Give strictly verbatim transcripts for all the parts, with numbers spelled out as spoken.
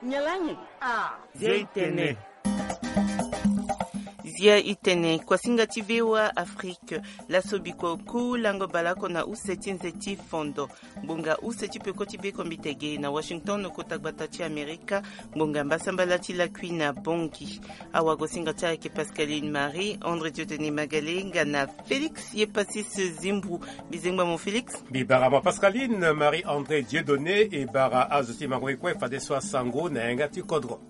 Nyen laa nyen? Ah. Zia i tene. Zia i tene. Kuasinga ti V O A Afrique. Laso bikua oku lango baleoko na use ti nze ti fondo. Ngbonga use ti peko ti bekombite ge na Washington, kota gbata ti Amerika. Ngbonga mbasambala ti lakui na Bangui. Awagosinga ti ayeke Pascaline Marie André Dieudonné Magale nga na Félix Yepasis Zimbru. Mbi zengba mo Félix. Mbi bara mo Pascaline Marie André Dieudonné, e bara azo ti mango e kue fadeso asango na yanga ti kodro.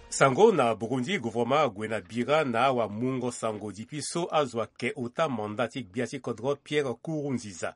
Sango na Burundi, gouvernement ague na bira na awamungo sango dipi so azo ake ota manda ti gbia ti kodro Pierre Nkurunziza.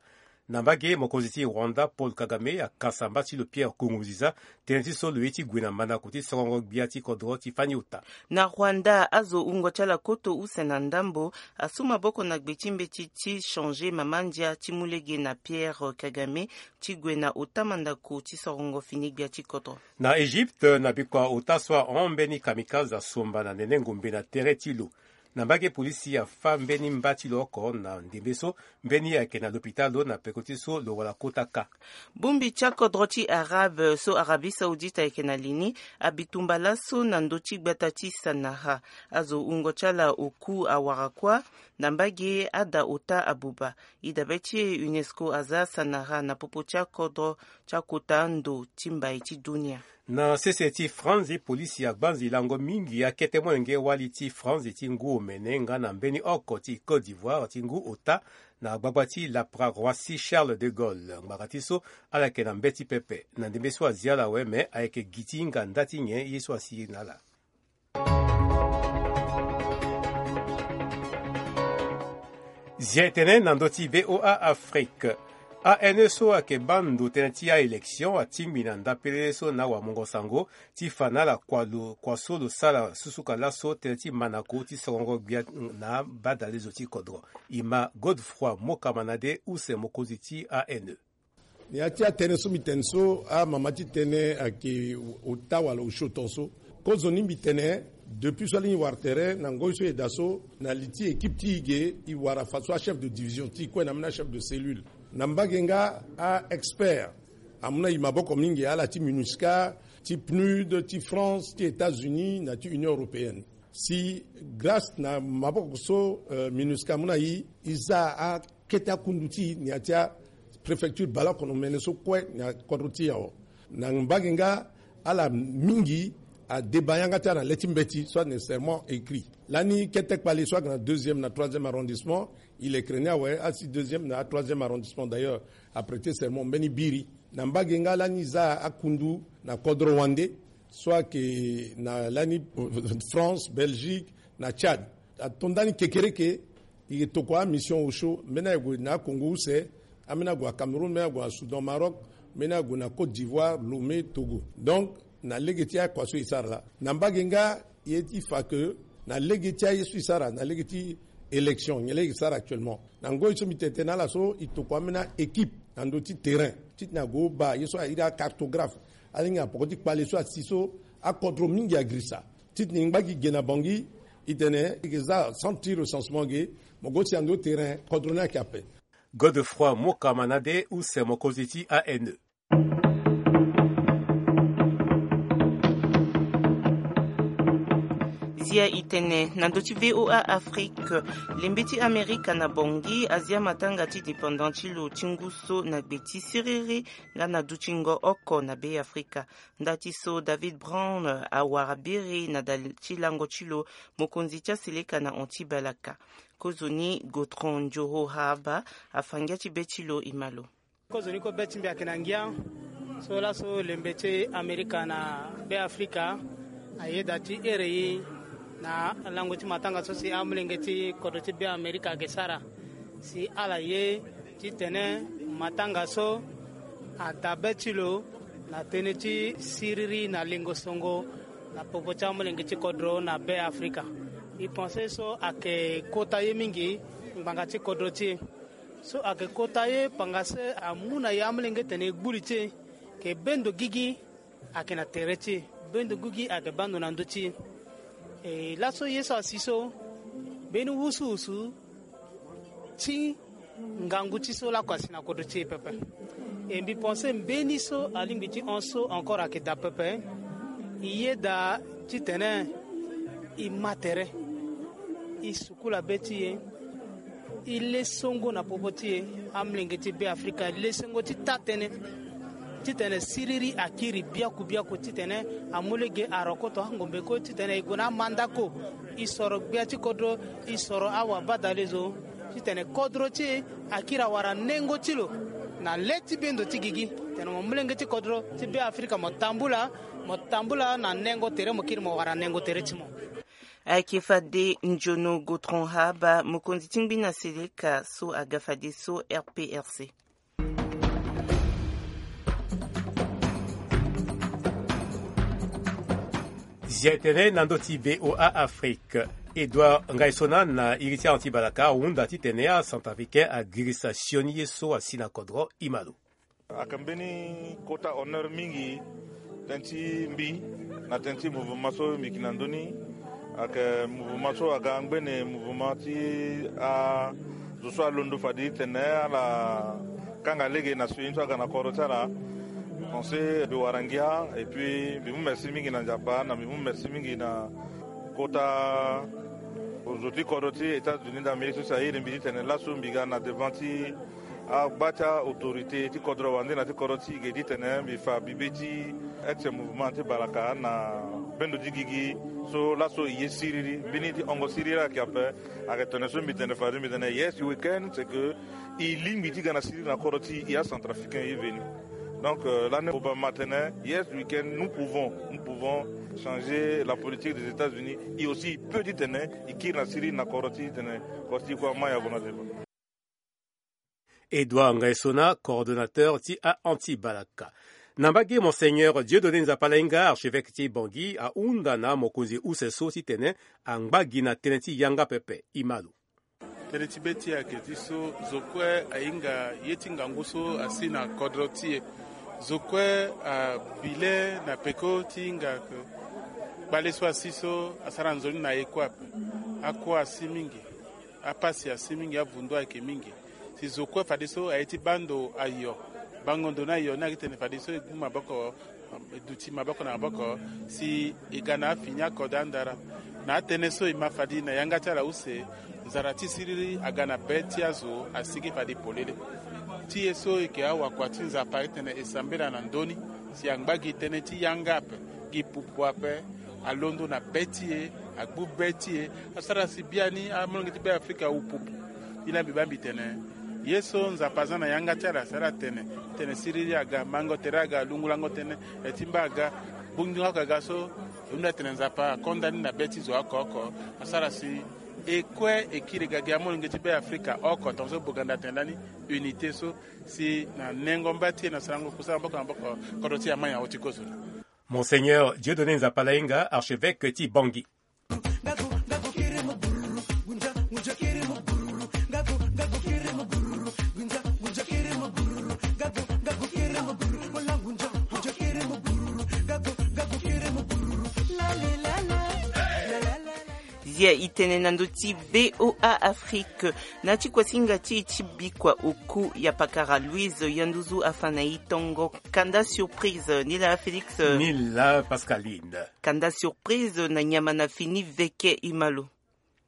Na mbage, mokonzi ti Rwanda Paul Kagame akasa mba ti lo Pierre Nkurunziza tënë ti so lo ye ti gue na mandako ti sorongo gbia ti kodro ti fani ota. Na Rwanda, azo wungo ti ala koto use na ndambo asu maboko na gbe ti mbeti ti changer mama ndia ti mu lege na Pierre Kagame ti gue na ota mandako ti sorongo fini gbia ti kodro. Na Egypte, na bikua ota so ahon mbeni kamikaze asomba na nene ngombe na tere ti lo. Na mbage, polisi afa mbeni mba ti lo oko na ndembe so mbeni ayeke na lopitalo na peko ti so lo wara kota ka. Bongbi ti akodro ti Arabe so Arabie Saoudite ayeke na li ni abi tumba laso na ndö ti gbata ti Sanaha. Azo wungo ti ala oku awara kuâ. Na mbage, ada ota abuba. E dabe ti e, UNESCO aza Sanaha na popo ti akodro ti akota ndo ti mbai ti dunia. Na sese ti France, polisi agbanzi lango mingi akete molenge wali ti France ti ngu omene nga na mbeni oko ti Côte d'Ivoire ti ngu ota na gbagba ti lapara Roissy Charles de Gaulle. Ngbanga ti so ala yeke na mbeti pepe. Na ndembe so azi ala awe, me ayeke gi ti hinga nda ti nyen ye so asi na ala. Zia e tene na ndö ti V O A Afrique. A N E so ayeke baa ndo tënë ti a-élection atingbi na nda pelele so na awamungo sango ti fa na ala kua lo, kua so lo sara susuka laso tënë ti mandako ti sorongo gbia na badalezo ti kodro. E ma Godefroid Mokamanade, use mokonzi ti A N E. Na ya ti atënë so mbi tene so, amama ti tënë ayeke ota wala osio tongaso. Kozoni mbi tene, depuis so alingbi wara tere na ngoi so e daa so, na li ti équipe ti e ge, e wara fadeso achef de division ti e kue na ambeni achef de cellule. Na mbage nga a-expert amu na e maboko mingi, ala ti MINUSCA, ti PNUD, ti France, ti États-Unis na ti Union européenne. Si grâce na maboko so, euh, MINUSCA amu na e, e za akete akundu ti e na ya ti apréfecture baleoko na omene so kue na kodro ti e awe. Na mbage nga ala mingi adeba yanga ti ala na le ti mbeti, soit nécessairement écrit. Lani kete kpale so ayeke na deuxième na troisième arrondissement, e lekere ni awe, asi deuxième na troisième arrondissement d'ailleurs aprêter serment mbeni biri. Na mbage nga lani e za akundu na kodro wande so ayeke na lani, euh, France, Belgique na Tchad. Ato ndani kekereke, e tokua mission osio, mbeni aye gue na Congo use, ambeni ague na Cameroun, mbeni ague na Soudan, Maroc, mbeni ague na Côte d'Ivoire, Lomé, Togo. Donc na lege ti akua so e sara laa. Na mbage nga, ye ti fa ke na lege ti aye so e sara na lege ti élection, nyen lege e sara actuellement. Na ngoi so mbi tene tene na ala so, e tokua ambeni a-équipe na ndö ti terrain titene ague baa ye so a iri acartographe, alingbi na poko ti kpale so asi so akodro mingi agirisa. Titene ngba gi ge na Bangui, e tene e ke za centre ti recensement ge, mo go si na ndö terrain, kodro ni ayeke ape. Godefroid Mokamanade, use mokonzi ti A N E. Zia e tene na ndö ti V O A Afrique. Lembe ti Amerika na Bangui azia matanga ti dépendant ti lo ti ngu so na gbe ti siriri nga na dutingo oko na Be Afrika. Nda ti so David Brown awara biri na da ti lango ti lo, mokonzi ti aseleka na hon ti balaka. Kozoni Gotron Njoro Haba afa ngia ti be ti lo, e ma lo. Kozoni kue be ti mbi ayeke na ngia. So laso lembe ti Amerika na Be Afrika ayeda ti here e na lango ti matanga so si amolenge ti kodro ti Be Amerika ayeke sara. Si ala ye titene matanga so ada be ti lo na tënë ti siriri na lingo songo na popo ti amolenge ti kodro na Be Afrika. E pense so ayeke kota ye mingi ngbanga ti kodro ti e. So ayeke kota ye pangase amu na e amolenge tene e gbu li ti e. Ke bendo gigi ayeke na tere ti e, bendo gigi ayeke bando na ndö ti e. E laso ye so asi so, mbeni wusuwusu ti ngangu ti so lakue asi na kodro ti e pepe. E mbi pense mbeni so alingbi ti hon so encore ayeke daa pepe. E yeda titene e ma tere, e sukula be ti e, e le songo na popo ti e. Amolenge ti Be Afrika e le songo ti taa tënë titene siriri akiri biaku biaku titene amu lege arokoto angombe kue titene e gue na amandako, e soro gbia ti kodro, e soro awabadale zo titene kodro ti e akiri awara nengo ti lo na le ti bendo ti gigi. Tene mo molenge ti kodro ti Be Afrika mo tambula, mo tambula na nengo tere, mo kiri mo wara nengo tere ti mo. Ayeke fade Njono Gotron Haba, mokonzi ti ngbi na seleka so aga fadeso R P R C. Zia tënë na ndö ti V O A Afrique. Edouard Ngaisona na iri ti Anti Balaka ahunda titene acentrafricain agirisa sioni ye so asi na kodro. Ima lo. Ayeke mbeni kota honneur mingi tënë ti mbi na tënë ti mouvement so mbi yeke na ndö ni. Ayeke mouvement so aga ngbene mouvement ti azo so alondo fade titene ala kanga lege na sioni so aga na kodro ti ala. Pense mbi wara ngia et puis mbi mu merci mingi na Nzapa, na mbi mu merci mingi na kota zo ti kodro ti États-Unis d'Amérique so si airi mbi titene laso mbi ga na devant ti agba ti autorité ti kodro wande na ti kodro ti e ge titene mbi fa bibe ti ex mouvement ti Balaka na bendo ti gigi. So laso e ye siriri, mbeni ti hongo siriri ayeke ape. Ayeke tene so mbi tene fade mbi tene yes weekend, c'est que e lingbi ti ga na siriri na kodro ti e acentrafricain ye veni. Donc euh, lani oba ma tene yes weekend, nous pouvons, nous pouvons changer la politique des États-Unis. E aussi e peut titene e kiri na siriri na kodro ti e titene kodro ti e kue amai avona deba. Edouard Ngaisona, coordonnateur ti a Anti Balaka. Na mbage, Monseigneur Dieudonné Nzapalainga, archevêque ti Bangui, ahunda na mokonzi use so titene angba gi na tënë ti yanga pepe. Ima lo. Tënë ti be ti e ayeke ti so zo kue ahinga ye ti ngangu so asi na kodro ti e. Zo kue abi le na peko ti hinga kpale so asi so asara nzoni na e kue ape. Akua asi mingi. Apasi asi mingi, avundu ayeke mingi. Si zo kue fadeso aye ti baa ndo ayo, bango ndo ni ayo ni ayeke tene fadeso e gbu maboko, e duti maboko na maboko, si e ga na afini akode andara. Na atënë so e ma fade na yanga ti ala use, nzara ti siriri aga na be ti azo asigi fade polele. Ti e so e yeke awakua ti Nzapa ayeke tene e sambela na ndö ni, si angba gi tënë ti yanga ape, gi pupu ape, alondo na be ti e, agbu be ti e, asara si biani amolenge ti Be Afrika awu pupu. Ni laa mbi baa mbi tene ye so Nzapa aza na yanga ti ala si ala tene, tene siriri aga, mango tere aga, lungulango tënë, e ti mba aga, gbungbunga oko aga so, e hunda tene Nzapa akonda ni na be ti zo oko oko, asara si e kue e kiri ga gi amolenge ti Be Afrika oko, tongaso Boganda atene lani unité so, si na nengo mba ti e na sarango kusala maboko na maboko, kodro ti e amai na oti kozoni. Monseigneur Dieudonné Nzapalainga, archevêque ti Bangui. Zia e tene na ndö ti V O A Afrique. Na ti kuasinga ti e ti bikua oku, yapakara Louise Yanduzu afa na e tongo kanda surprise. Ni laa Félix. Ni laa Pascaline. Kanda surprise na nyama na fini veke, ima lo.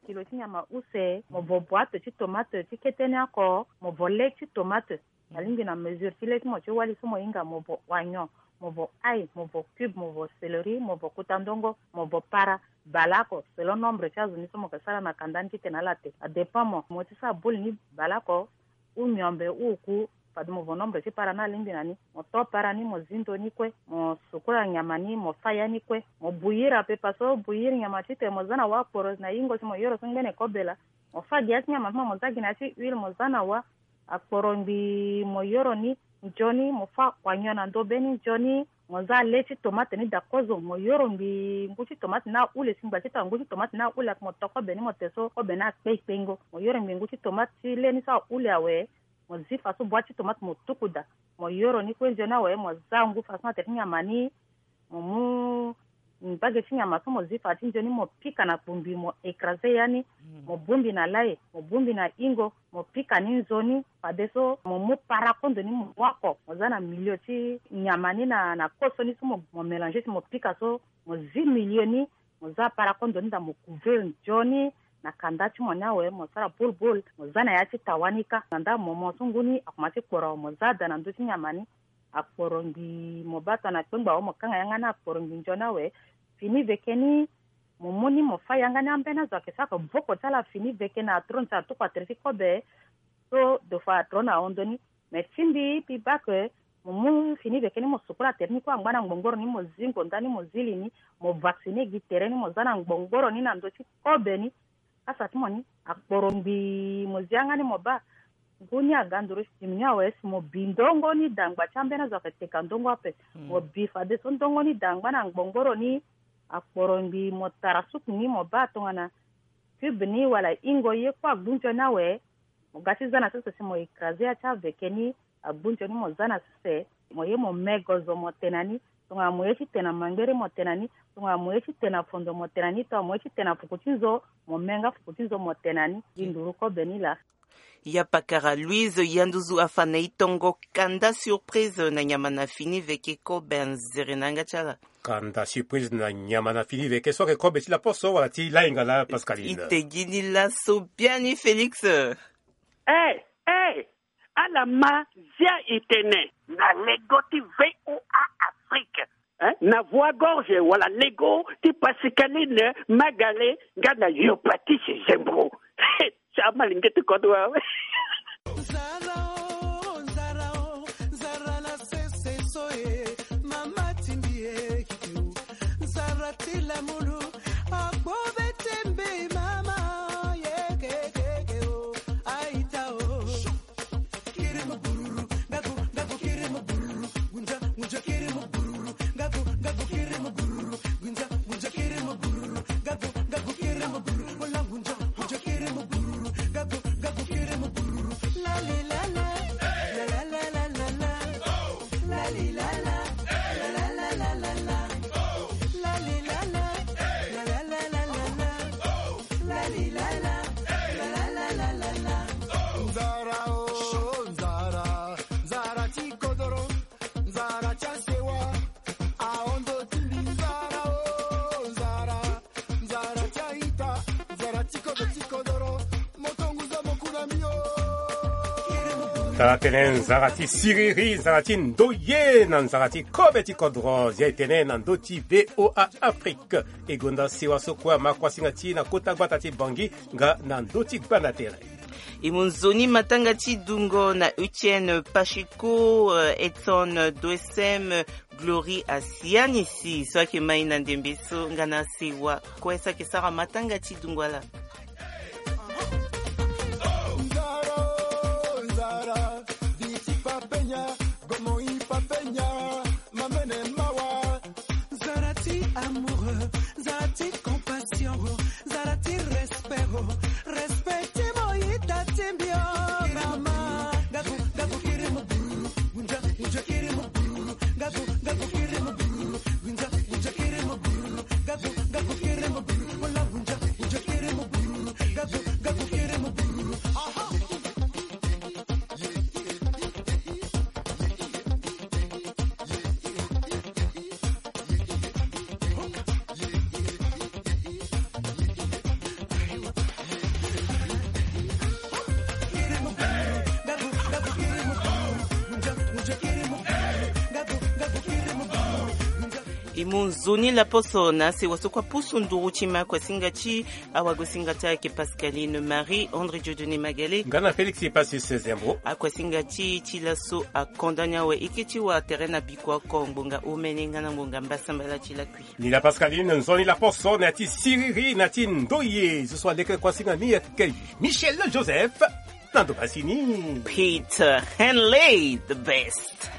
Kilo ti nyama use, mo vo boite ti tomate ti kete ni oko, mo vo le ti tomate. Alingbi na mesure ti le ti mo ti wali so mo hinga, mo vo oignon, mo vo ail, mo vo cube, mo vo céleri, mo vo kutandongo, mo vo para. Baleoko selon nombre ti azo ni so mo yeke sara na kanda ni titene ala te. Adépend mo, mo ti sara boule ni baleoko ou miombe ou oku, fade mo vo nombre ti para ni alingbi na ni. Mo to para ni, mo zi ndo ni kue, mo sukula nyama ni, mo fa ya ni kue, mo bouillir ape. Parce que bouillir nyama titene mo za na wâ akporo na yingo si mo yoro so ngbene kobe laa. Mo fa gi ya ti nyama ti mo, mo za gi na ya ti huile, mo za na wâ akporo ngbii, mo yoro ni nzoni, mo fa oignon na ndo be ni nzoni. Mo za le ti tomate ni daa kozo, mo yoro ngbii ngu ti tomate ni ahule, si ngba ti tanga ngu ti tomate ni ahule ape, mo to kobe ni mo te so kobe ni akpe kpengo. Mo yoro ngbii ngu ti tomate ti le ni so ahule awe. Mo zi faso boite ti tomate mo tuku daa. Mo yoro ni kue nzoni awe, mo za ngu faso ni atene ti nyama ni. Mo mu mbage ti nyama so mo zi fa ti nzoni mo pika na kpumbi mo écrase ya ni. Mo bongbi na lai, mo bongbi na ingo, mo pika ni nzoni. Fadeso mo mu para kondo ni mo mu oko mo za na milieu ti nyama ni na na koso ni so mo mo mélange si mo pika so, mo zi milieu ni, mo za para kondo ni daa mo couvrir nzoni na kanda ti mo ni awe, mo sara boule boule mo za na ya ti tawa ni kâ. Na nda mo mo so ngu ni akomanse ti kporo awe mo za daa na ndö ti nyama ni. Akporo ngbii mo baa tongana kpengba awe mo kanga yanga ni akporo ngbii nzoni awe. Fini veke ni mo mu ni mo fâ yanga ni ambeni azo ayeke sara ake voko ti ala fini veke na atrone ti ala tuku atere ti kobe. So de fois atro na ahon ndö ni. Mais ti mbi mbi baa ke mo mu fini veke ni mo sukula tere ni kue angba na ngbongboro ni mo zi ngonda ni mo zi li ni. Mo vaccine gi tere ni mo za na ngbongboro ni na ndö ti kobe ni. Kasa ti mo ni akporo ngbii mo zi yanga ni mo baa. Ngu ni aga nduru si timi ni awe si mo bi ndongo ni dangba ti ambeni azo ayeke teka ndongo ape. Mo bi fadeso ndongo ni dangba na ngbongboro ni. Akporo ngbii mo tara suku ni mo baa tongana cube ni wala ingo ye kue agbu nzoni awe. Mo ga ti za na sese si mo écrase ya ti aveke ni agbu nzoni mo za na sese. Mo ye mo me gozo mo te na ni. Tongana mo ye ti te na mangbere mo te na ni. Tongana mo ye ti te na fondo mo te na ni. Tongana mo ye ti te na fuku ti nzo mo me nga fuku ti nzo mo te na ni. Gi nduru kobe ni laa. Ya pakara Louise Yanduzu afa na e tongo kanda surprise na nyama na fini veke kobe anzere na yanga ti ala. Kanda surprise na nyama na fini veke so ayeke kobe ti laposo wala ti lainga la Pascaline. I te gi ni laso biani Félix. Eh, eh, ala ma zia e tene na lego ti V O A Afrique. Hein? Na voix gorge wala lego ti Pascaline Magale nga na yo Patrice Zembro. Ti amalenge ti kodro awe. Nzara o, nzara o, nzara na sese so e, mama timbi e, kiki o. Nzara ti lamulu, akpo be tembe mama, ye ke, ke, ke o, aita o. Nzara o, nzara, nzara ti kodoro, nzara ti asewa, aondo ti mbi. Nzara o, nzara, nzara ti aita, nzara ti kodo ti kodoro, moto ngu zo mo ku na mbi o. Tara tene nzara ti siriri, nzara ti ndoye na nzara ti kobe ti kodro, zia e tene na ndö ti V O A Afrique. E gonda sewa so kue ama kuasinga ti e na kota gbata ti Bangui nga na ndö ti gbanda tere. E mu nzoni matanga ti dungo na Etienne Pacheco, euh, Edson Doesem, Glory Asianisi so ayeke ma e na ndembe so nga na sewa kue so ayeke sara matanga ti dungo ala. Nzara, nzara, di ti papenya, gomo i papenya, mamene mawa. Nzara ti amoureux, nzara ti compassion, nzara ti respect, respect ti mo ita ti mbi o mama. Gabu, gabu kiri mo bururu, gunja, gunja kiri mo bururu, gabu, gabu kiri mo bururu, gunja, gunja kiri mo bururu, gabu, gabu kiri mo bururu, wala gunja, gunja kiri mo bururu, gabu, gabu kiri mo bururu. Aha. E mu nzoni laposo na sewa so kue apusu nduru ti ma kuasinga ti awagosinga ti ayeke Pascaline Marie André Dieudonné Magale. Nga na Félix Epassus Zembo. Akuasinga ti e ti laso akonda ni awe. E ke ti wa tere na bikua oko ngbonga omene nga na ngbonga mbasambala ti lakui. Ni la Pascaline, nzoni laposo na ya ti siriri na ti ndoye. Zo so aleke kuasinga ni ayeke Michel Joseph. Na ndo pasi ni. Peter Henley, the best.